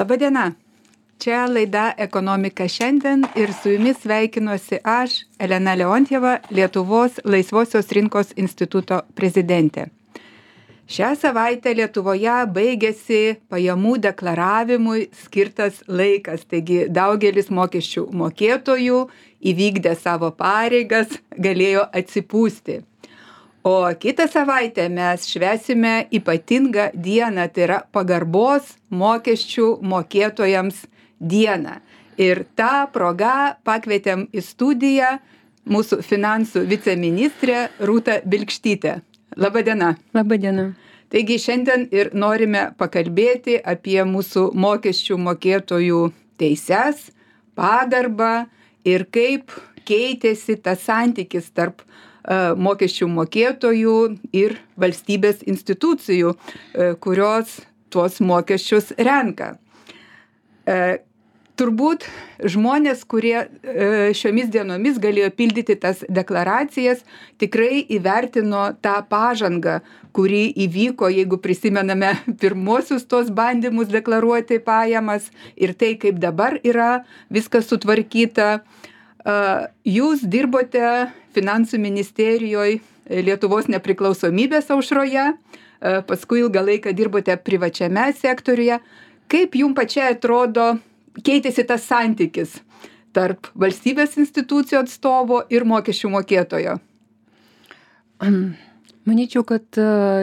Labadiena. Čia laida Ekonomika šiandien ir su jumis sveikinuosi aš, Elena Leontjeva, Lietuvos Laisvosios rinkos instituto prezidentė. Šią savaitę Lietuvoje baigėsi pajamų deklaravimui skirtas laikas, taigi daugelis mokesčių mokėtojų įvykdę savo pareigas galėjo atsipūsti. O kitą savaitę mes švęsime ypatingą dieną, tai yra pagarbos mokesčių mokėtojams dieną. Ir tą progą pakvietėm į studiją mūsų finansų viceministrę Rūtą Bilkštytę. Labadiena. Labadiena. Taigi šiandien ir norime pakalbėti apie mūsų mokesčių mokėtojų teises, pagarbą ir kaip keitėsi tas santykis tarp mokesčių mokėtojų ir valstybės institucijų, kurios tuos mokesčius renka. Turbūt žmonės, kurie šiomis dienomis galėjo pildyti tas deklaracijas, tikrai įvertino tą pažangą, kuri įvyko, jeigu prisimename pirmosius tos bandymus deklaruoti pajamas ir tai, kaip dabar yra viskas sutvarkyta. Jūs dirbote Finansų ministerijoje Lietuvos nepriklausomybės aušroje, paskui ilgą laiką dirbote privačiame sektoriuje. Kaip jums pačiai atrodo, keitėsi tas santykis tarp valstybės institucijų atstovo ir mokesčių mokėtojo? Manyčiau, kad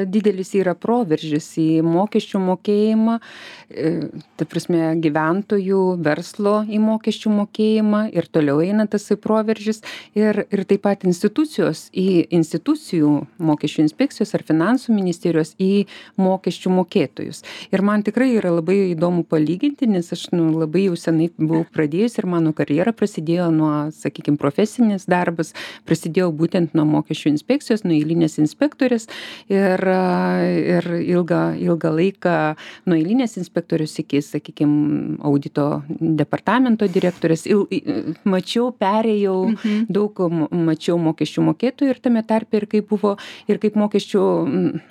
didelis yra proveržis į mokesčių mokėjimą, ta prasme gyventojų, verslo į mokesčių mokėjimą ir toliau eina tas proveržis ir taip pat institucijų mokesčių inspekcijos ar finansų ministerijos į mokesčių mokėtojus. Ir man tikrai yra labai įdomu palyginti, nes aš labai jau senai buvau pradėjus ir mano karjera prasidėjo nuo, sakykime, profesinis darbas, prasidėjo būtent nuo mokesčių inspekcijos, nuo eilinės inspekcijos. Ir ilgą laiką nuo eilinės inspektorius iki, sakykime, audito departamento direktorės. Perėjau, daug mačiau mokesčių mokėtojų ir tame tarpe ir kaip mokesčių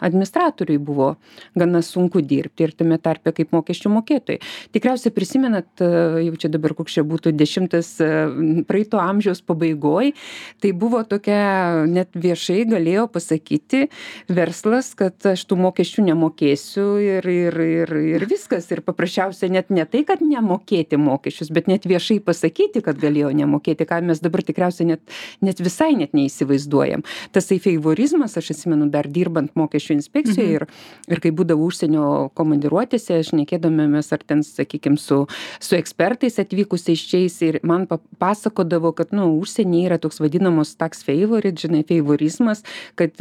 administratoriui buvo gana sunku dirbti ir tame tarpe kaip mokesčių mokėtojai. Tikriausiai prisimenat, jau čia dabar koks čia būtų 10 praeito amžiaus pabaigoj, tai buvo tokia, net viešai galėjo pasakyti verslas, kad aš tų mokesčių nemokėsiu ir viskas. Ir paprasčiausiai net ne tai, kad nemokėti mokesčius, bet net viešai pasakyti, kad galėjo nemokėti, ką mes dabar tikriausiai net visai neįsivaizduojam. Tasai favorizmas, aš atsimenu dar dirbant mokesčių inspekcijoje ir kai būdavau užsienio komandiruotėse, aš nekėdomėmės ar ten, sakykime, su ekspertais atvykusiais čiais ir man pasakodavo, kad užsienyje yra toks vadinamos tax favorite, favorizmas, kad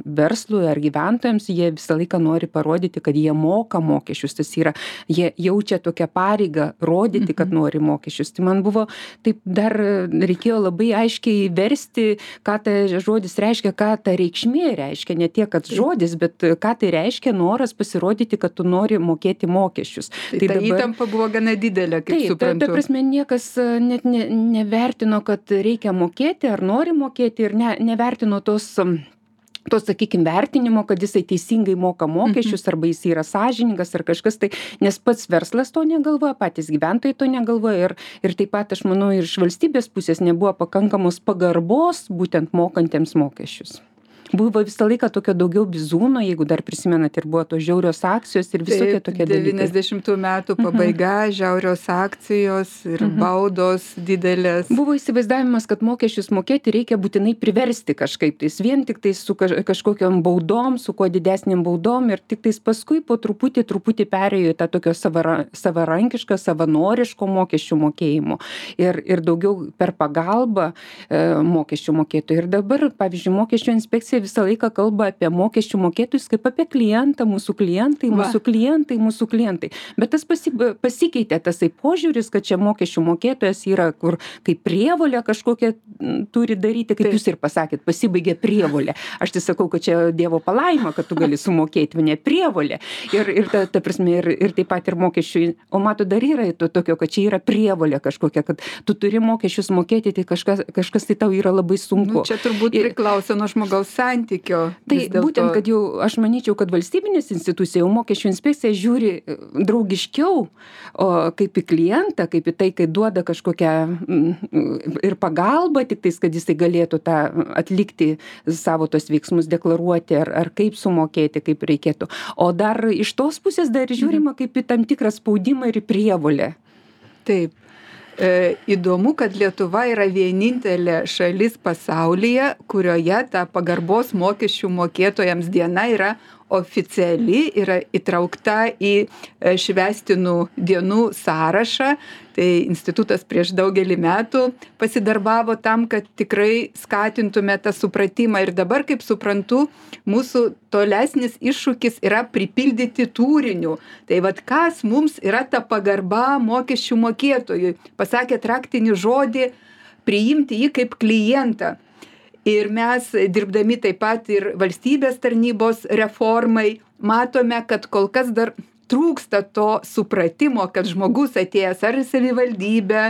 verslui ar gyventojams jie visą laiką nori parodyti, kad jie moka mokesčius. Tas yra, jie jaučia tokią pareigą rodyti, kad nori mokesčius. Tai man buvo, taip dar reikėjo labai aiškiai versti, ką ta žodis reiškia, ką ta reikšmė reiškia. Ne tiek, kad žodis, bet ką tai reiškia noras pasirodyti, kad tu nori mokėti mokesčius. Tai ta įtampa buvo gana didelė, kaip suprantu. Taip, ta prasme, niekas net nevertino, kad reikia mokėti ar nori mokėti ir nevertino tos, sakykime, vertinimo, kad jisai teisingai moka mokesčius arba jis yra sąžiningas ar kažkas tai, nes pats verslas to negalvoja, patys gyventojai to negalvoja ir taip pat, aš manau, ir iš valstybės pusės nebuvo pakankamos pagarbos būtent mokantiems mokesčius. Buvo visą laiką tokio daugiau bizūno, jeigu dar prisimenat, ir buvo tos žiaurios akcijos ir visokie tokie dalykai. 90 metų pabaiga, žiaurios akcijos ir baudos didelės. Buvo įsivaizdavimas, kad mokesčius mokėti reikia būtinai priversti kažkaip tais, vien tik tais su kažkokiom baudom, su kuo didesniam baudom ir tik tais paskui po truputį perėjo į tą tokio savarankišką, savanoriško mokesčių mokėjimo ir daugiau per pagalbą mokesčių mokėtojų. Ir dabar, pavyzdžiui, mokesčių inspekcija visą laiką kalba apie mokesčių mokėtojus kaip apie klientą, mūsų klientai. Bet tas pasikeitė tasai požiūris, kad čia mokesčių mokėtojas yra, kur kaip prievolė kažkokia turi daryti, kaip jūs ir pasakėt, pasibaigė prievolė. Aš tai sakau, kad čia Dievo palaima, kad tu gali sumokėti, ne prievolė. Ir ta prasme, ir taip pat ir mokesčių. O mato, dar yra to tokio, kad čia yra prievolė kažkokia, kad tu turi mokesčius mokėti, tai kažkas tai tau yra labai sunku. Čia turbūt priklauso nuo žmogaus santykio. Tai būtent, kad jau aš manyčiau, kad valstybinės institucija, jau mokesčių inspekcija žiūri draugiškiau kaip į klientą, kaip į tai, kai duoda kažkokią ir pagalbą, tik tais, kad jisai galėtų tą atlikti savo tos veiksmus, deklaruoti ar kaip sumokėti, kaip reikėtų. O dar iš tos pusės dar žiūrima kaip į tam tikrą spaudimą ir į prievolę. Taip. Įdomu, kad Lietuva yra vienintelė šalis pasaulyje, kurioje ta pagarbos mokesčių mokėtojams diena yra oficiali, yra įtraukta į švęstinų dienų sąrašą. Tai institutas prieš daugelį metų pasidarbavo tam, kad tikrai skatintume tą supratimą. Ir dabar, kaip suprantu, mūsų tolesnis iššūkis yra pripildyti turiniu. Tai vat kas mums yra ta pagarba mokesčių mokėtojui? Pasakėt raktinį žodį, priimti jį kaip klientą. Ir mes, dirbdami taip pat ir valstybės tarnybos reformai, matome, kad kol kas dar trūksta to supratimo, kad žmogus atėjęs ar į savivaldybę,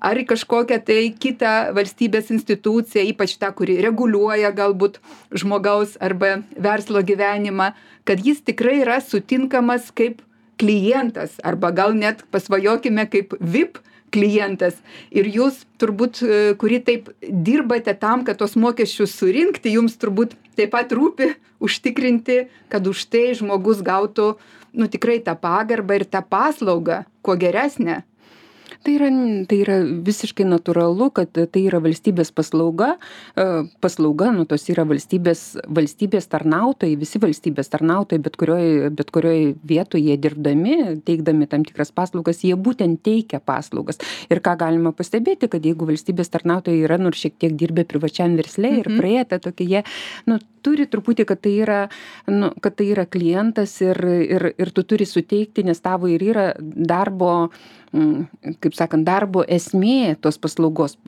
ar į kažkokią tai kitą valstybės instituciją, ypač tą, kuri reguliuoja galbūt žmogaus arba verslo gyvenimą, kad jis tikrai yra sutinkamas kaip klientas, arba gal net pasvajokime kaip VIP klientas. Ir jūs turbūt, kuri taip dirbate tam, kad tos mokesčius surinkti, jums turbūt taip pat rūpi užtikrinti, kad už tai žmogus gautų tikrai tą pagarbą ir tą paslaugą, kuo geresnę. Tai yra visiškai natūralu, kad tai yra valstybės paslauga, tos yra valstybės tarnautojai, visi valstybės tarnautojai, bet kurioj vietoje jie dirbdami, teikdami tam tikras paslaugas, jie būtent teikia paslaugas. Ir ką galima pastebėti, kad jeigu valstybės tarnautojai yra nors šiek tiek dirbę privačiam versle ir praėję tą tokį, jie turi truputį, kad tai yra klientas ir tu turi suteikti, nes tavo ir yra darbo, kaip sakant, darbo esmė tos paslaugos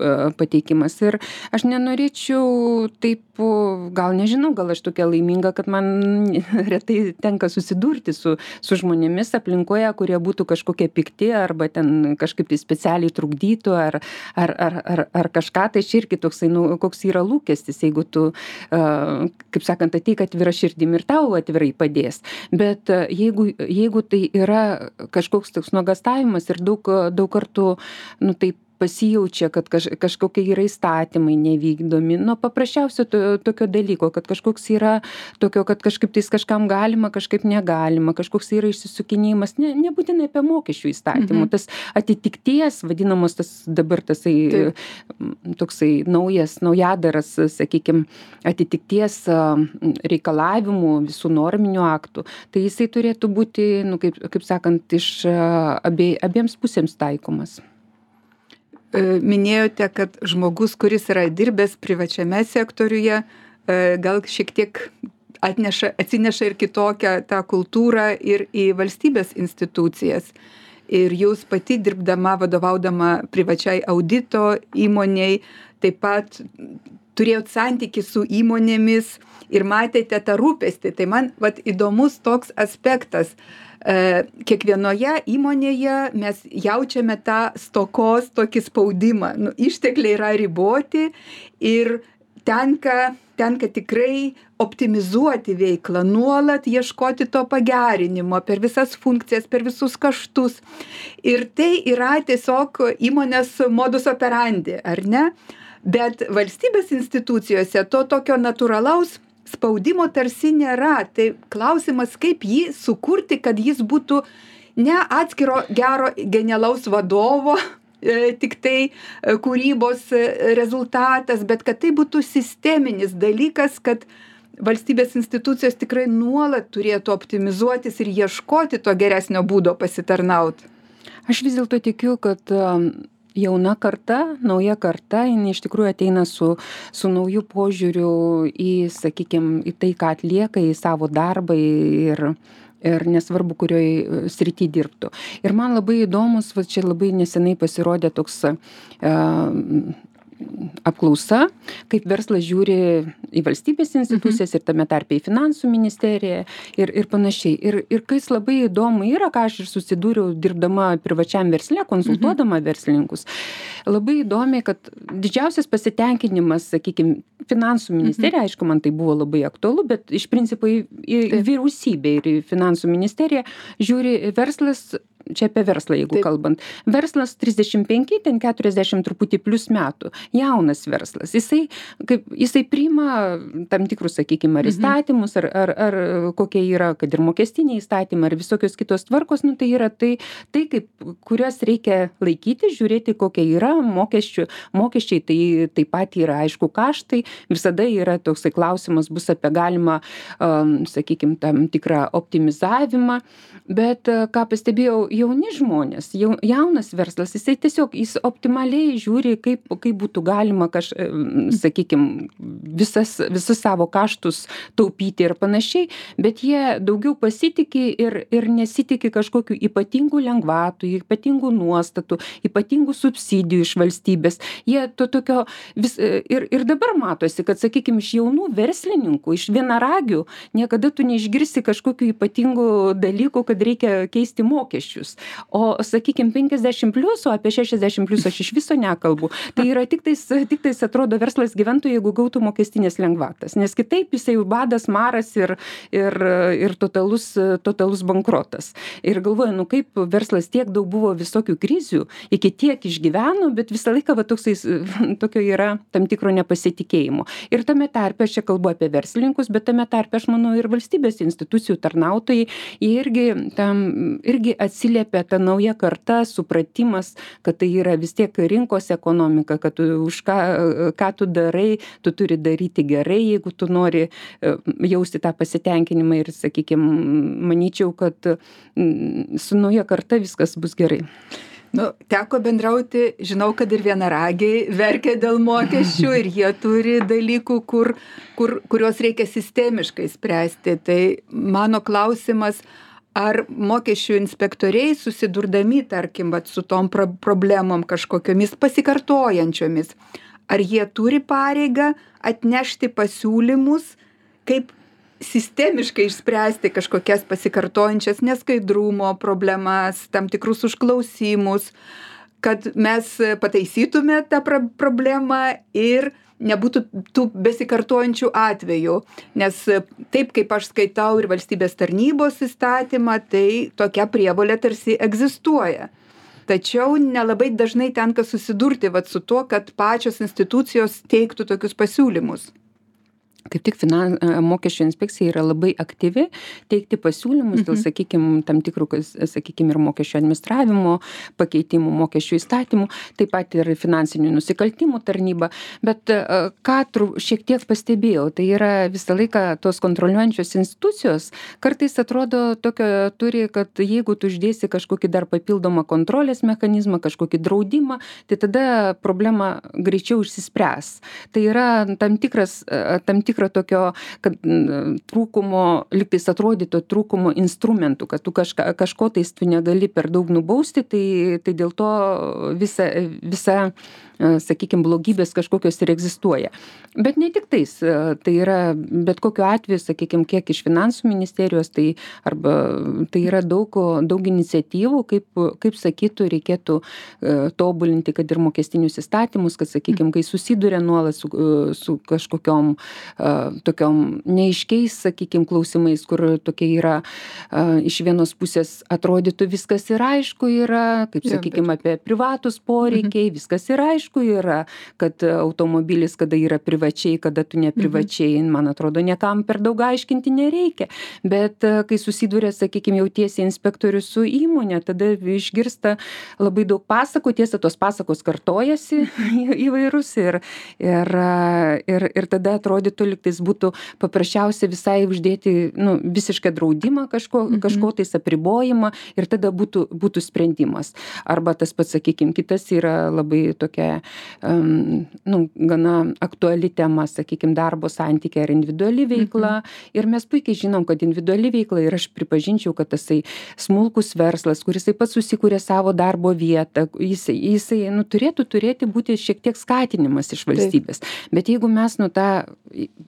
pateikimas. Ir aš nenorėčiau taip, gal nežinau, gal aš tokia laiminga, kad man retai tenka susidurti su žmonėmis aplinkoje, kurie būtų kažkokie pikti arba ten kažkaip tai specialiai trukdytų ar kažką. Tai irgi toksai, koks yra lūkestis, jeigu tu, kaip sakant, ateik atvira širdim ir tau atvirai padės. Bet jeigu tai yra kažkoks toks nuogąstavimas ir daug kartų, taip pasijaučia, kad kažkokie yra įstatymai nevykdomi, paprasčiausio tokio dalyko, kad kažkoks yra tokio, kad kažkaip tais kažkam galima, kažkaip negalima, kažkoks yra išsisukinėjimas, nebūtinai apie mokesčių įstatymų, tas atitikties, vadinamos dabar toksai naujadaras, sakykime, atitikties reikalavimų visų norminių aktų, tai jisai turėtų būti, kaip sakant, iš abiems pusėms taikomas. Minėjote, kad žmogus, kuris yra dirbęs privačiame sektoriuje, gal šiek tiek atsineša ir kitokią tą kultūrą ir į valstybės institucijas. Ir jūs pati dirbdama, vadovaudama privačiai audito įmoniai, taip pat turėjot santykį su įmonėmis ir matėte tą rūpestį. Tai man įdomus toks aspektas. Kiekvienoje įmonėje mes jaučiame tą stokos tokį spaudimą. Ištekliai yra riboti ir tenka tikrai optimizuoti veiklą, nuolat ieškoti to pagerinimo per visas funkcijas, per visus kaštus. Ir tai yra tiesiog įmonės modus operandi, ar ne? Bet valstybės institucijose to tokio natūralaus spaudimo tarsi nėra. Tai klausimas, kaip jį sukurti, kad jis būtų ne atskiro gero genialaus vadovo, tik tai kūrybos rezultatas, bet kad tai būtų sisteminis dalykas, kad valstybės institucijos tikrai nuolat turėtų optimizuotis ir ieškoti to geresnio būdo pasitarnauti. Aš vis dėlto tikiu, kad jauna karta, nauja karta, jinai iš tikrųjų ateina su nauju požiūriu į, sakykime, į tai, ką atlieka, į savo darbą ir nesvarbu, kurioj srity dirbtų. Ir man labai įdomus, čia labai nesenai pasirodė toks apklausa, kaip verslas žiūri į valstybės institucijas ir tame tarpe į finansų ministeriją ir panašiai. Ir kas labai įdomu yra, ką aš ir susidūriau dirbdama privačiam versle, konsultuodama verslininkus, labai įdomiai, kad didžiausias pasitenkinimas, sakykime, finansų ministerija, aišku, man tai buvo labai aktualu, bet iš principo į vyriausybę ir į finansų ministeriją žiūri verslas, čia apie verslą, jeigu kalbant. Verslas 35, ten 40 truputį plus metų. Jaunas verslas. Jisai priima tam tikrus, sakykime, ar įstatymus, ar kokie yra, kad ir mokestiniai įstatymai, ar visokios kitos tvarkos, tai yra tai kaip, kurias reikia laikyti, žiūrėti, kokie yra mokesčiai, tai taip pat yra, aišku, kaštai. Visada yra toksai klausimas, bus apie galimą, sakykime, tam tikrą optimizavimą. Bet ką pastebėjau, jauni žmonės, jaunas verslas, jis optimaliai žiūri, kaip būtų galima, sakykime, visus savo kaštus taupyti ir panašiai, bet jie daugiau pasitikė ir nesitikė kažkokių ypatingų lengvatų, ypatingų nuostatų, ypatingų subsidijų iš valstybės. Jie to tokio ir dabar matosi, kad, sakykime, iš jaunų verslininkų, iš vienaragių, niekada tu neišgirsi kažkokių ypatingų dalykų, kad reikia keisti mokesčius. O, sakykime, 50 plius, o apie 60 plius aš iš viso nekalbu. Tai yra tiktais atrodo verslas gyventų, jeigu gautų mokestinės lengvatas. Nes kitaip jisai badas, maras ir totalus bankrotas. Ir galvoju, kaip verslas tiek daug buvo visokių krizių, iki tiek išgyveno, bet visą laiką tokio yra tam tikro nepasitikėjimo. Ir tame tarpe, aš čia kalbu apie verslininkus, bet tame tarpe, aš manau, ir valstybės institucijų tarnautojai, jie irgi atsiliepia ta nauja karta, supratimas, kad tai yra vis tiek rinkos ekonomika, kad už ką tu darai, tu turi daryti gerai, jeigu tu nori jausti tą pasitenkinimą ir, sakykime, manyčiau, kad su nauja karta viskas bus gerai. Teko bendrauti, žinau, kad ir vienaragiai verkia dėl mokesčių ir jie turi dalykų, kuriuos reikia sistemiškai spręsti. Tai mano klausimas, ar mokesčių inspektoriai susidurdami, tarkim, su tom problemom kažkokiomis pasikartojančiomis, ar jie turi pareigą atnešti pasiūlymus, kaip sistemiškai išspręsti kažkokias pasikartojančias neskaidrumo problemas, tam tikrus užklausimus, kad mes pataisytume tą problemą ir nebūtų tų besikartojančių atvejų. Nes taip, kaip aš skaitau ir valstybės tarnybos įstatymą, tai tokia prievolė tarsi egzistuoja. Tačiau nelabai dažnai tenka susidurti su tuo, kad pačios institucijos teiktų tokius pasiūlymus. Kaip tik mokesčių inspekcija yra labai aktyvi teikti pasiūlymus dėl, sakykime, tam tikrų, sakykime, ir mokesčių administravimo, pakeitimų mokesčių įstatymų, taip pat ir finansinių nusikaltimų tarnyba. Bet ką šiek tiek pastebėjau, tai yra visą laiką tos kontroliuojančios institucijos kartais atrodo tokio turi, kad jeigu tu uždėsi kažkokį dar papildomą kontrolės mechanizmą, kažkokį draudimą, tai tada problema greičiau išsispręs. Tai yra tam tikro tokio, kad trūkumo, lygtais atrodyto trūkumo instrumentų, kad tu kažko tais tu negali per daug nubausti, tai dėl to visa sakykime, blogybės kažkokios ir egzistuoja. Bet ne tik tais, tai yra bet kokiu atveju, sakykime, kiek iš finansų ministerijos, tai yra daug iniciatyvų, kaip sakytų, reikėtų tobulinti, kad ir mokestinius įstatymus, kad, sakykime, kai susiduria nuolat su kažkokiom tokiom neaiškiais, sakykime, klausimais, kur tokie yra iš vienos pusės atrodytų viskas yra aišku yra, kaip, sakykime, apie privatus poreikiai, viskas yra aišku yra, kad automobilis, kada yra privačiai, kada tu neprivačiai, man atrodo, niekam per daug aiškinti nereikia. Bet kai susiduria, sakykime, jau tiesiai inspektorius su įmonė, tada išgirsta labai daug pasakų, tiesa, tos pasakos kartojasi įvairūs ir tada atrodytų, lygtais būtų paprasčiausia visai uždėti visišką draudimą kažko tais apribojimą ir tada būtų sprendimas. Arba tas pats, sakykime, kitas yra labai tokia gana aktuali tema, sakykime, darbo santykiai ar individuali veikla. Ir mes puikiai žinom, kad individuali veikla, ir aš pripažinčiau, kad tasai smulkus verslas, kuris taip pat susikūrė savo darbo vietą, jisai turėtų turėti būti šiek tiek skatinimas iš valstybės. Bet jeigu mes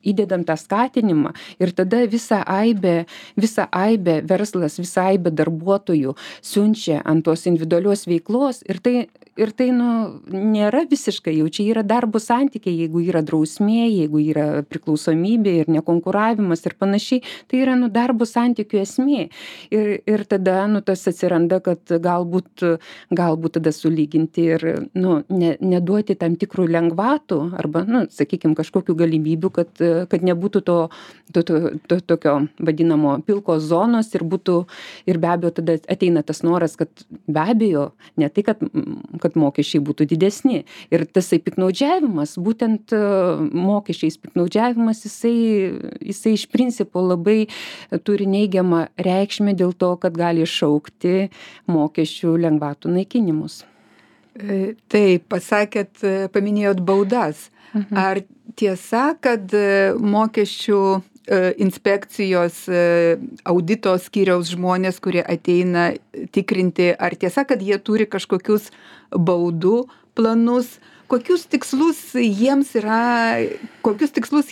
įdedam tą skatinimą ir tada visą aibę verslas, visą aibę darbuotojų siunčia ant tos individualios veiklos ir tai nėra visiškai, jau čia yra darbo santykiai, jeigu yra drausmė, jeigu yra priklausomybė ir nekonkuravimas ir panašiai, tai yra darbo santykių esmė. Ir tada tas atsiranda, kad galbūt tada sulyginti ir neduoti tam tikrų lengvatų arba, sakykime, kažkokių galimybių, kad nebūtų to tokio vadinamo pilkos zonos ir be abejo tada ateina tas noras, kad be abejo, ne tai, kad mokesčiai būtų didesni. Ir tasai piktnaudžiavimas, būtent mokesčiais piktnaudžiavimas, jisai iš principo labai turi neigiamą reikšmę dėl to, kad gali iššaukti mokesčių lengvatų naikinimus. Taip, paminėjot baudas. Ar tiesa, kad mokesčių inspekcijos audito skyriaus žmonės, kurie ateina tikrinti, ar tiesa, kad jie turi kažkokius baudų planus, kokius tikslus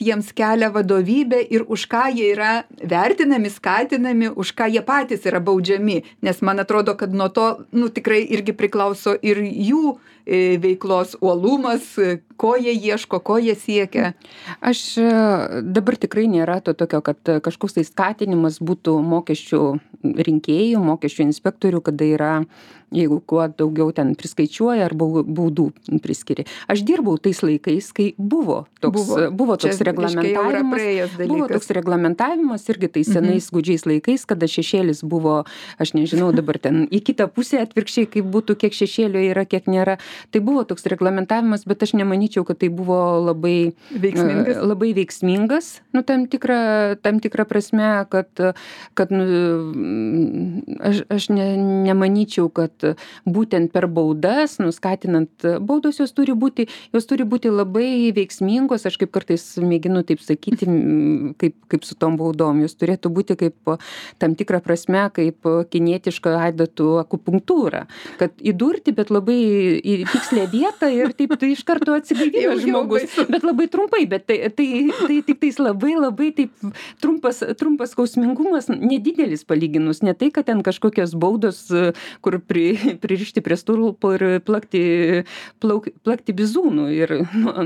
jiems kelia vadovybė ir už ką jie yra vertinami, skatinami, už ką jie patys yra baudžiami, nes man atrodo, kad nuo to tikrai irgi priklauso ir jų veiklos uolumas, ko jie ieško, ko jie siekia. Aš dabar tikrai nėra to tokio, kad kažkoks tai skatinimas būtų mokesčių rinkėjų, mokesčių inspektorių, kada yra, jeigu kuo daugiau ten priskaičiuoja ar baudų priskiria. Aš dirbau tais laikais, kai buvo toks reglamentavimas irgi tais senais gūdžiais laikais, kada šešėlis buvo, aš nežinau dabar ten į kitą pusę atvirkščiai, kaip būtų, kiek šešėlio yra, kiek nėra. Tai buvo toks reglamentavimas, bet aš nemanyčiau, kad tai buvo labai veiksmingas, tam tikrą prasme, kad aš nemanyčiau, kad būtent per baudas, skatinant baudos, jos turi būti labai veiksmingos, aš kaip kartais mėginu taip sakyti, kaip su tom baudom, jos turėtų būti kaip tam tikrą prasme, kaip kinietiška adatų akupunktūra, kad įdurti, bet labai į tikslę vietą ir taip tai iš karto atsigaivina žmogus, bet labai trumpai, bet tai tik tais labai taip trumpas skausmingumas, nedidelis palyginus, ne tai, kad ten kažkokios baudos, kur pririšti prie stulpo ir plakti bizūnų ir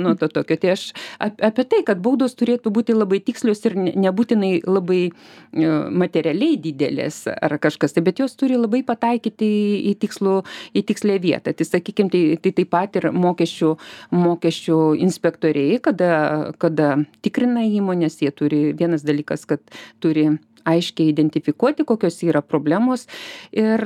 nuo to tokio. Tai aš apie tai, kad baudos turėtų būti labai tikslios ir nebūtinai labai materialiai didelės ar kažkas, bet jos turi labai pataikyti į tikslę vietą. Tai sakykime, tai taip pat ir mokesčių inspektoriai, kada tikrina įmonės, jie turi, vienas dalykas, kad turi aiškiai identifikuoti, kokios yra problemos ir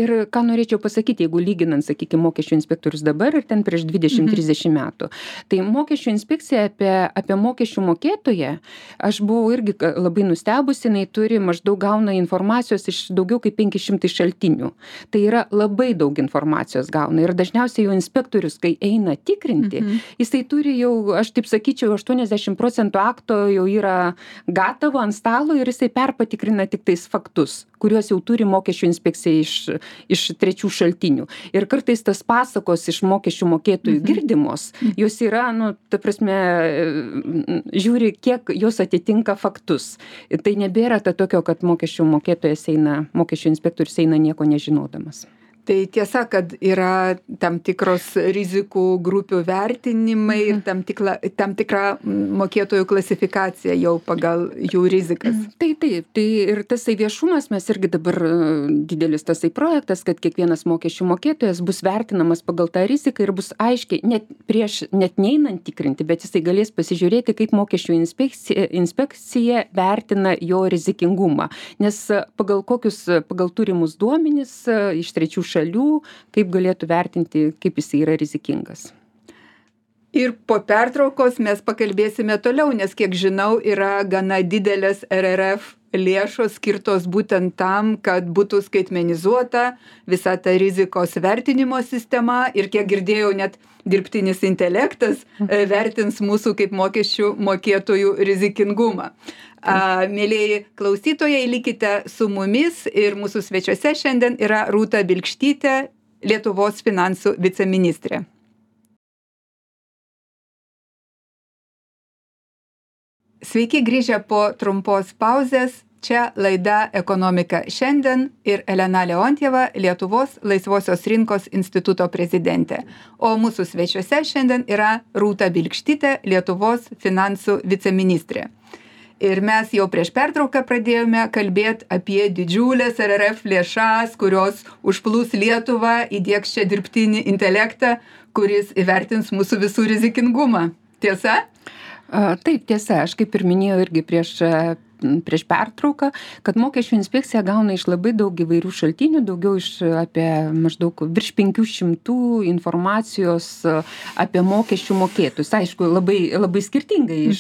ką norėčiau pasakyti, jeigu lyginant, sakykime, mokesčių inspektorius dabar ir ten prieš 20-30 metų. Tai mokesčių inspekcija apie mokesčių mokėtoją, aš buvau irgi labai nustebusi, jinai maždaug gauna informacijos iš daugiau kaip 500 šaltinių. Tai yra labai daug informacijos gauna ir dažniausiai jau inspektorius, kai eina tikrinti, jisai turi jau, aš taip sakyčiau, 80% akto jau yra gatavo ant stalo ir jisai perpatikrina tik tais faktus, kuriuos jau turi mokesčių inspekcija iš trečių šaltinių. Ir kartais tas pasakos iš mokesčių mokėtojų girdimos, jos yra, ta prasme, žiūri, kiek jos atitinka faktus. Ir tai nebėra tokio, kad mokesčių inspektorius eina nieko nežinodamas. Tai tiesa, kad yra tam tikros rizikų grupių vertinimai ir tam tikra mokėtojų klasifikacija jau pagal jų rizikas. Tai ir tasai viešumas, mes irgi dabar didelis tasai projektas, kad kiekvienas mokesčių mokėtojas bus vertinamas pagal tą riziką ir bus aiškiai, net neinant tikrinti, bet jisai galės pasižiūrėti, kaip mokesčių inspekcija vertina jo rizikingumą. Nes pagal turimus duomenis iš trečių šalių, kaip galėtų vertinti, kaip jis yra rizikingas. Ir po pertraukos mes pakalbėsime toliau, nes kiek žinau, yra gana didelės RRF lėšos skirtos būtent tam, kad būtų skaitmenizuota visa ta rizikos vertinimo sistema ir kiek girdėjau, net dirbtinis intelektas vertins mūsų kaip mokesčių mokėtojų rizikingumą. Mėlieji klausytojai, likite su mumis ir mūsų svečiuose šiandien yra Rūta Bilkštytė, Lietuvos finansų viceministrė. Sveiki grįžę po trumpos pauzės. Čia laida Ekonomika šiandien ir Elena Leontjeva, Lietuvos laisvosios rinkos instituto prezidentė. O mūsų svečiuose šiandien yra Rūta Bilkštytė, Lietuvos finansų viceministrė. Ir mes jau prieš pertrauką pradėjome kalbėti apie didžiulės RRF lėšas, kurios užplūs Lietuvą, įdiegs čia dirbtinį intelektą, kuris įvertins mūsų visų rizikingumą. Tiesa? Taip, tiesa, aš kaip ir minėjau irgi prieš pertrauką, kad mokesčių inspekcija gauna iš labai daug įvairių šaltinių, daugiau iš apie maždaug virš 500 informacijos apie mokesčių mokėtus. Aišku, labai skirtingai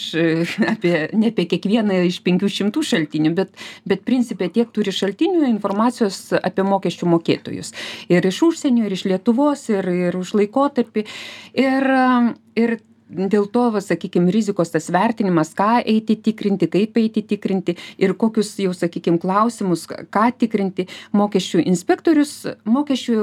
ne apie kiekvieną iš 500 šaltinių, bet principė tiek turi šaltinių informacijos apie mokesčių mokėtojus. Ir iš užsienio, ir iš Lietuvos, ir už laikotarpį. Ir dėl to, sakykime, rizikos tas vertinimas, ką eiti tikrinti, kaip eiti tikrinti ir kokius jau, sakykime, klausimus, ką tikrinti mokesčių inspektorius, mokesčių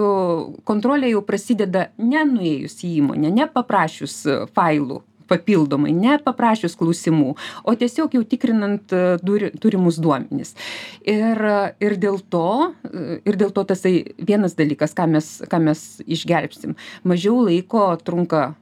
kontrolė jau prasideda nenuėjus į įmonę, nepaprašius failų papildomai, nepaprašius klausimų, o tiesiog jau tikrinant turimus duomenis. Ir dėl to tasai vienas dalykas, ką mes išgelbstim. Mažiau laiko trunka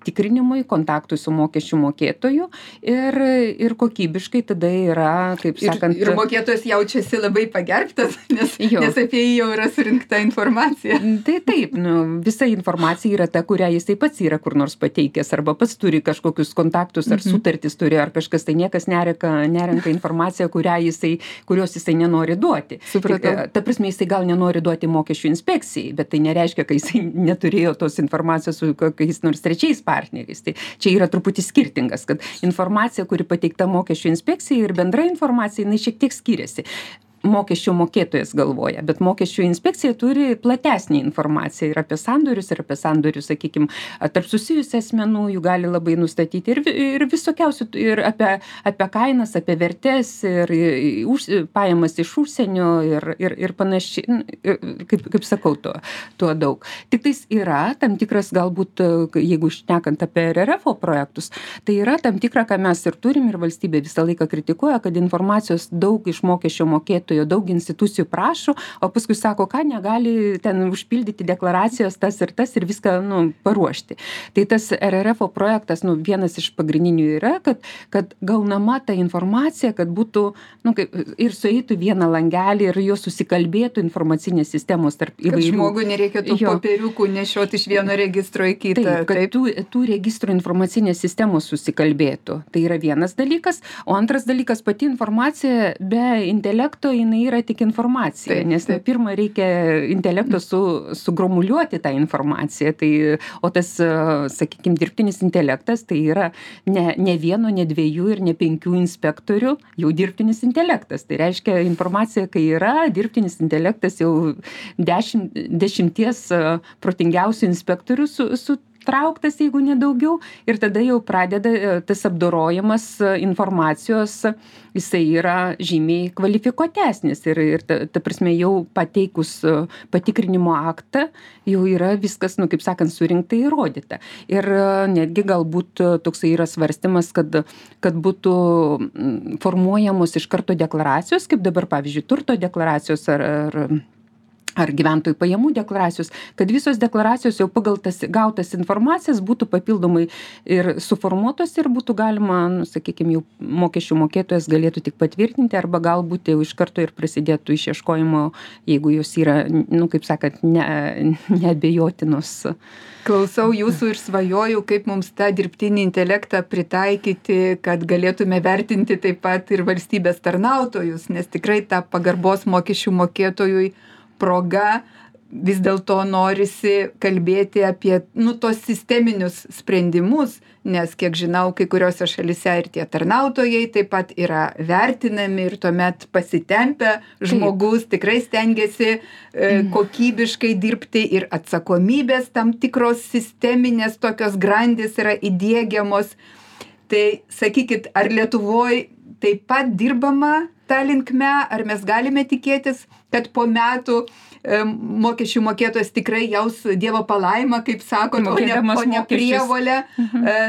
tikrinimui, kontaktui su mokesčių mokėtoju ir kokybiškai tada yra, kaip sakant... Ir mokėtojas jaučiasi labai pagerbtas, nes apie jį jau yra surinkta informacija. Tai taip, visa informacija yra ta, kurią jisai pats yra kur nors pateikęs, arba pats turi kažkokius kontaktus, ar sutartis turi, ar kažkas, tai niekas nerenka informaciją, kurios jisai nenori duoti. Supratau. Ta prasme, jisai gal nenori duoti mokesčių inspekcijai, bet tai nereiškia, kad jisai neturėjo tos informacijos su kokiais nors trečiais partneriais. Tai čia yra truputį skirtingas, kad informacija, kuri pateikta mokesčių inspekcijai ir bendra informacija, jinai šiek tiek skiriasi. Mokesčių mokėtojas galvoja, bet mokesčių inspekcija turi platesnį informaciją ir apie sandorius, sakykime, tarp susijusių asmenų, jų gali labai nustatyti ir visokiausių, ir apie kainas, apie vertės, ir pajamas iš užsienio ir panašiai, kaip sakau, tuo daug. Tik tais yra tam tikras, galbūt, jeigu šnekant apie RRF projektus, tai yra tam tikra, ką mes ir turim, ir valstybė visą laiką kritikuoja, kad informacijos daug iš mokesčio mokėtojų daug institucijų prašo, o paskui sako, ką negali ten užpildyti deklaracijos tas ir viską paruošti. Tai tas RRF projektas, vienas iš pagrindinių yra, kad gaunama ta informacija, kad būtų ir sueitų vieną langelį ir jo susikalbėtų informacinės sistemos tarp įvairių. Kad žmogui nereikėtų popieriukų nešioti iš vieno registro į kitą. Taip, kad tų registrų informacinės sistemos susikalbėtų. Tai yra vienas dalykas, o antras dalykas, pati informacija be intelekto jinai yra tik informacija, nes pirmą reikia intelekto sugromuliuoti tą informaciją, o tas, sakykime, dirbtinis intelektas, tai yra ne vieno, ne dviejų ir ne 5 inspektorių, jau dirbtinis intelektas. Tai reiškia, informacija, kai yra dirbtinis intelektas, jau 10 protingiausių inspektorių sutrauktas, jeigu nedaugiau, ir tada jau pradeda tas apdorojimas informacijos, jisai yra žymiai kvalifikuotesnis ir ta prasme jau pateikus patikrinimo aktą, jau yra viskas, kaip sakant, surinkta įrodyta. Ir netgi galbūt toksai yra svarstymas, kad būtų formuojamos iš karto deklaracijos, kaip dabar, pavyzdžiui, turto deklaracijos ar gyventojų pajamų deklaracijos, kad visos deklaracijos jau pagal tas gautas informacijas būtų papildomai ir suformuotos ir būtų galima, sakykime, jau mokesčių mokėtojas galėtų tik patvirtinti arba galbūt jau iš karto ir prasidėtų išieškojimo, jeigu jos yra, kaip sakant, neabejotinos. Klausau jūsų ir svajoju, kaip mums tą dirbtinį intelektą pritaikyti, kad galėtume vertinti taip pat ir valstybės tarnautojus, nes tikrai ta pagarbos mokesčių mokėtojui proga vis dėlto norisi kalbėti apie, tos sisteminius sprendimus, nes, kiek žinau, kai kuriuose šalyse ir tie tarnautojai taip pat yra vertinami ir tuomet pasitempę žmogus tikrai stengiasi kokybiškai dirbti ir atsakomybės tam tikros sisteminės tokios grandys yra įdiegiamos. Tai sakykit, ar Lietuvoj taip pat dirbama ta linkme, ar mes galime tikėtis, kad po metų mokesčių mokėtojas tikrai jaus Dievo palaimą, kaip sakot, o ne prievolę,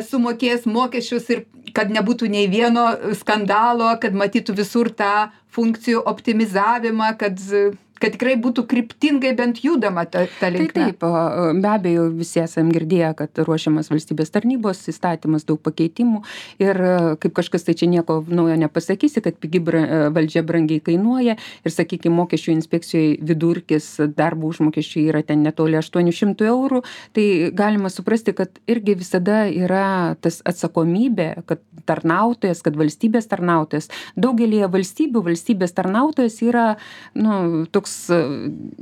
sumokės mokesčius ir kad nebūtų nei vieno skandalo, kad matytų visur tą funkcijų optimizavimą, kad tikrai būtų kryptingai bent judama ta linkme. Taip, be abejo, visi esam girdėję, kad ruošiamas valstybės tarnybos įstatymas, daug pakeitimų ir kaip kažkas tai čia nieko naujo nepasakysi, kad pigi valdžia brangiai kainuoja ir, sakykime, mokesčių inspekcijoje vidurkis darbo užmokesčių yra ten netoli 800 eurų, tai galima suprasti, kad irgi visada yra tas atsakomybė, kad tarnautojas, kad valstybės tarnautojas, daugelį valstybių valstybės tarnautojas yra, toks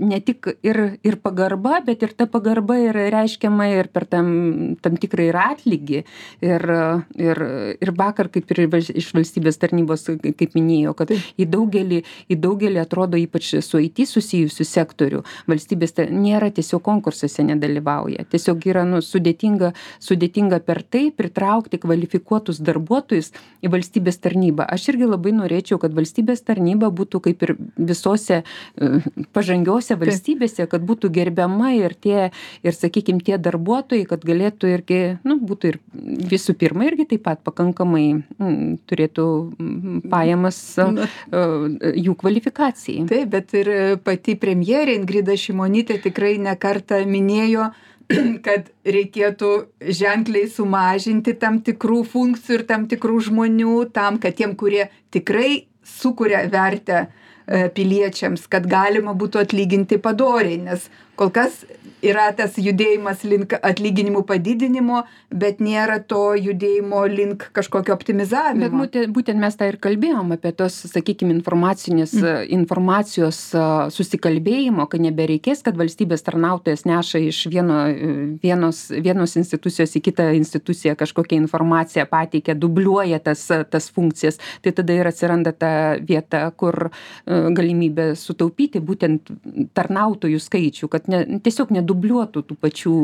ne tik ir pagarba, bet ir ta pagarba yra reiškiama ir per tam tikrą ir atlygį. Ir vakar, kaip ir iš valstybės tarnybos, kaip minėjau, kad į daugelį atrodo, ypač su IT susijusių sektorių, valstybės nėra tiesiog konkursuose nedalyvauja. Tiesiog yra sudėtinga per tai pritraukti kvalifikuotus darbuotojus į valstybės tarnybą. Aš irgi labai norėčiau, kad valstybės tarnyba būtų kaip ir visose pažangiausia valstybėse, kad būtų gerbiama ir sakykime, tie darbuotojai, kad galėtų irgi, būtų ir visų pirma irgi taip pat pakankamai turėtų pajamas jų kvalifikacijai. Taip, bet ir pati premjerė Ingrida Šimonytė tikrai ne kartą minėjo, kad reikėtų ženkliai sumažinti tam tikrų funkcijų ir tam tikrų žmonių tam, kad tiem, kurie tikrai sukuria vertę piliečiams, kad galima būtų atlyginti padoriai, nes kol kas yra tas judėjimas link atlyginimų padidinimo, bet nėra to judėjimo link kažkokio optimizavimo. Bet būtent mes tą ir kalbėjom apie tos, sakykime, informacijos susikalbėjimo, kad nebereikės, kad valstybės tarnautojas neša iš vienos institucijos į kitą instituciją kažkokią informaciją pateikia, dubliuoja tas funkcijas. Tai tada ir atsiranda ta vieta, kur galimybė sutaupyti būtent tarnautojų skaičių, kad tiesiog nedubliuotų tų pačių.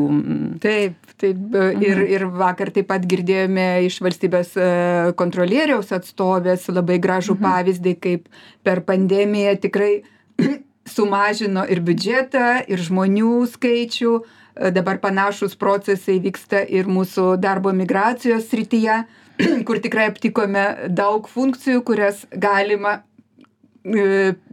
Taip. Ir vakar taip pat girdėjome iš valstybės kontrolieriaus atstovės labai gražų pavyzdį, kaip per pandemiją tikrai sumažino ir biudžetą, ir žmonių skaičių. Dabar panašus procesai vyksta ir mūsų darbo migracijos srityje, kur tikrai aptikome daug funkcijų, kurias galima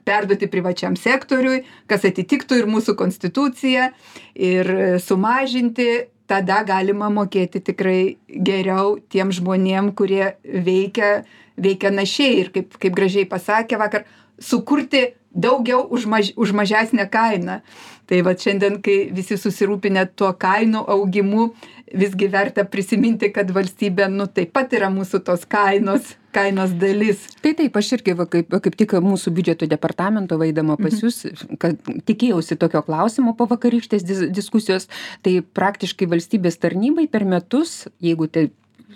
perduoti privačiam sektoriui, kas atitiktų ir mūsų konstituciją, ir sumažinti, tada galima mokėti tikrai geriau tiem žmonėm, kurie veikia našiai ir kaip gražiai pasakė vakar, sukurti daugiau už mažesnę kainą. Tai va šiandien, kai visi susirūpinę tuo kainų augimu, visgi verta prisiminti, kad valstybė taip pat yra mūsų tos kainos dalis. Taip, aš irgi kaip tik mūsų biudžeto departamento vaidama pas jūs, kad tikėjausi tokio klausimo po vakarykštės diskusijos, tai praktiškai valstybės tarnybai per metus, jeigu tai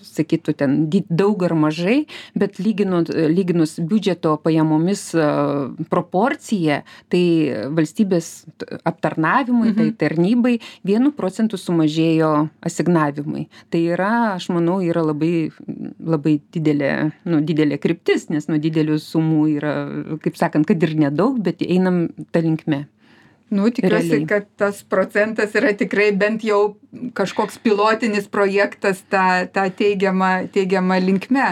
sakytų ten daug ar mažai, bet lyginus biudžeto pajamomis proporciją, tai valstybės aptarnavimui, tai tarnybai 1% sumažėjo asignavimai. Tai yra, aš manau, yra labai didelė kryptis, nes nuo didelių sumų yra, kaip sakant, kad ir nedaug, bet einam tą linkme. Tikiuosi, kad tas procentas yra tikrai bent jau kažkoks pilotinis projektas tą teigiamą linkme,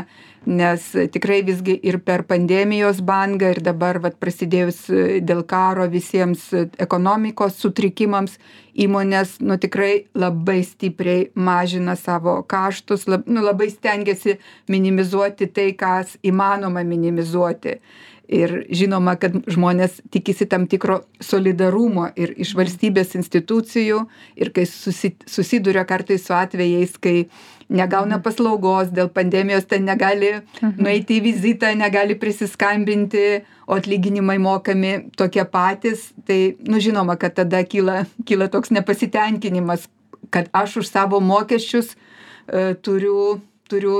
nes tikrai visgi ir per pandemijos bangą ir dabar prasidėjus dėl karo visiems ekonomikos sutrikimams įmonės tikrai labai stipriai mažina savo kaštus, labai stengiasi minimizuoti tai, kas įmanoma minimizuoti. Ir žinoma, kad žmonės tikisi tam tikro solidarumo ir iš valstybės institucijų, ir kai susiduria kartais su atvejais, kai negauna paslaugos dėl pandemijos, ten negali nueiti į vizitą, negali prisiskambinti, o atlyginimai mokami tokie patys, tai, žinoma, kad tada kyla toks nepasitenkinimas, kad aš už savo mokesčius turiu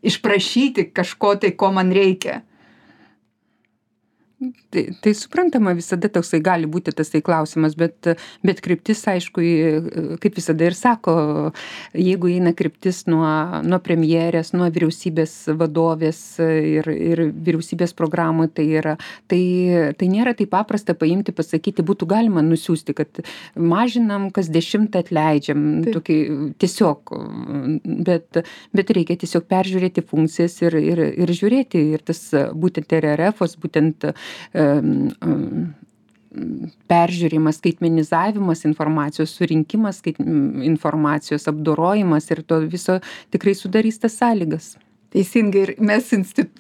išprašyti kažko tai, ko man reikia. Tai suprantama, visada toksai gali būti tasai klausimas, bet kryptis, aišku, kaip visada ir sako, jeigu eina kryptis nuo premjerės, nuo vyriausybės vadovės ir vyriausybės programų, tai nėra taip paprasta paimti, pasakyti, būtų galima nusiųsti, kad mažinam, kas 10 atleidžiam, tokį, tiesiog, bet reikia tiesiog peržiūrėti funkcijas ir žiūrėti, ir tas būtent RRF-os, būtent peržiūrimas, skaitmenizavimas informacijos, surinkimas informacijos, apdorojimas ir to viso tikrai sudarys tas sąlygas. Teisingai, ir mes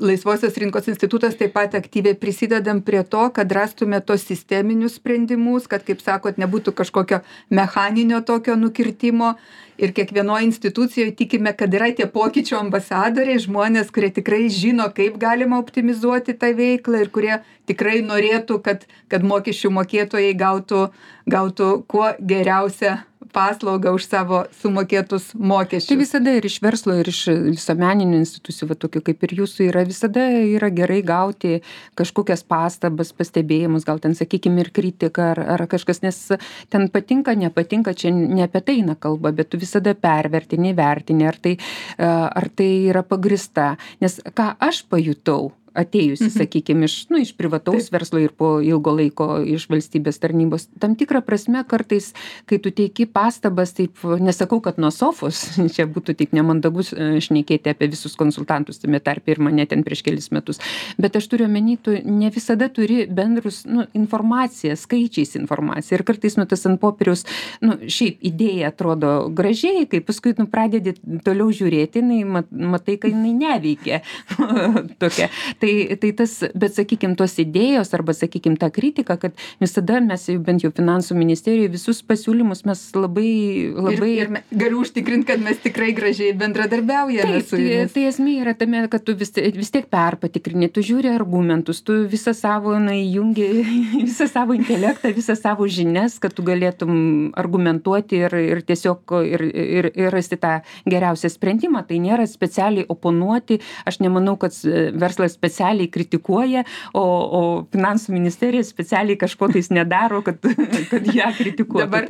Laisvosios rinkos institutas taip pat aktyviai prisidedam prie to, kad rastume tos sisteminius sprendimus, kad, kaip sakot, nebūtų kažkokio mechaninio tokio nukirtimo. Ir kiekvienoje institucijoje tikime, kad yra tie pokyčių ambasadoriai, žmonės, kurie tikrai žino, kaip galima optimizuoti tą veiklą ir kurie tikrai norėtų, kad mokesčių mokėtojai gautų kuo geriausią paslaugą už savo sumokėtus mokesčius. Tai visada ir iš verslo, ir iš visuomeninių institucijų, tokių kaip ir jūsų, visada yra gerai gauti kažkokias pastabas, pastebėjimus, gal ten, sakykime, ir kritiką ar kažkas, nes ten patinka, nepatinka, čia ne apie tai eina kalba, bet tu visada pervertini, vertini, ar tai yra pagrįsta. Nes ką aš pajutau, atėjusi, sakykime, iš privataus verslo ir po ilgo laiko iš valstybės tarnybos. Tam tikrą prasme kartais, kai tu teiki pastabas, taip nesakau, kad nuo sofos, čia būtų tik nemandagus šnekėti apie visus konsultantus, tame tarpe ir mane ten prieš kelis metus, bet aš turiu omeny, tu ne visada turi bendrus informaciją, skaičiais informaciją ir kartais tas ant popieriaus, šiaip idėja atrodo gražiai, kai paskui pradedi toliau žiūrėti, matai, kad jinai neveikia. Tokia. Tai tas, bet sakykime, tos idėjos arba, sakykime, ta kritika, kad visada mes jau bent jau finansų ministerijoje visus pasiūlymus mes labai... Ir galiu užtikrinti, kad mes tikrai gražiai bendradarbiaujame su jumis. Tai esmė yra tame, kad tu vis tiek perpatikrini, tu žiūri argumentus, tu visą savo įjungi, visą savo intelektą, visą savo žinias, kad tu galėtum argumentuoti ir tiesiog ir rasti tą geriausią sprendimą. Tai nėra specialiai oponuoti. Aš nemanau, kad verslas specialiai kritikuoja, o finansų ministerija specialiai kažko tais nedaro, kad ją kritikuotų. Dabar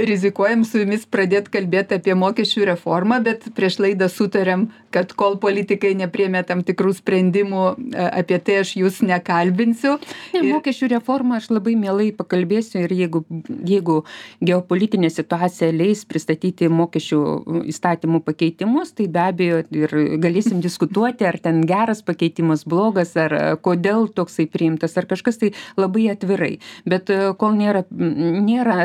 rizikuojam su jumis pradėti kalbėti apie mokesčių reformą, bet prieš laidą sutarėm, kad kol politikai nepriėmė tam tikrų sprendimų, apie tai aš jūs nekalbinsiu. Mokesčių reformą aš labai mielai pakalbėsiu ir jeigu geopolitinė situacija leis pristatyti mokesčių įstatymų pakeitimus, tai be abejo ir galėsim diskutuoti, ar ten geras pakeitimas, blogas, ar kodėl toksai priimtas, ar kažkas, tai labai atvirai. Bet kol nėra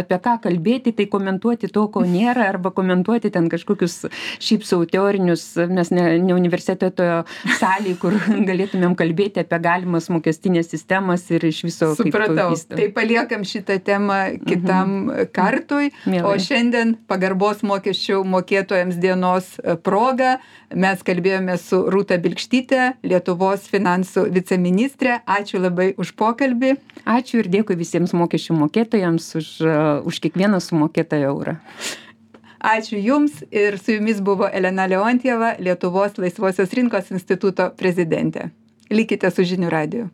apie ką kalbėti, tai komentuoti to, ko nėra, arba komentuoti ten kažkokius šiaip sau teorinius, mes ne universiteto salėje, kur galėtumėm kalbėti apie galimas mokestinės sistemas ir iš viso kaip Supratau. Tai paliekam šitą temą kitam kartui, o šiandien pagarbos mokesčių mokėtojams dienos proga mes kalbėjome su Rūta Bilkštyte, Lietuvos finansų viceministrė. Ačiū labai už pokalbį. Ačiū ir dėkui visiems mokesčių mokėtojams už kiekvieną sumokėtą eurą. Ačiū Jums ir su Jumis buvo Elena Leontjeva, Lietuvos Laisvosios rinkos instituto prezidentė. Likite su Žinių radiju.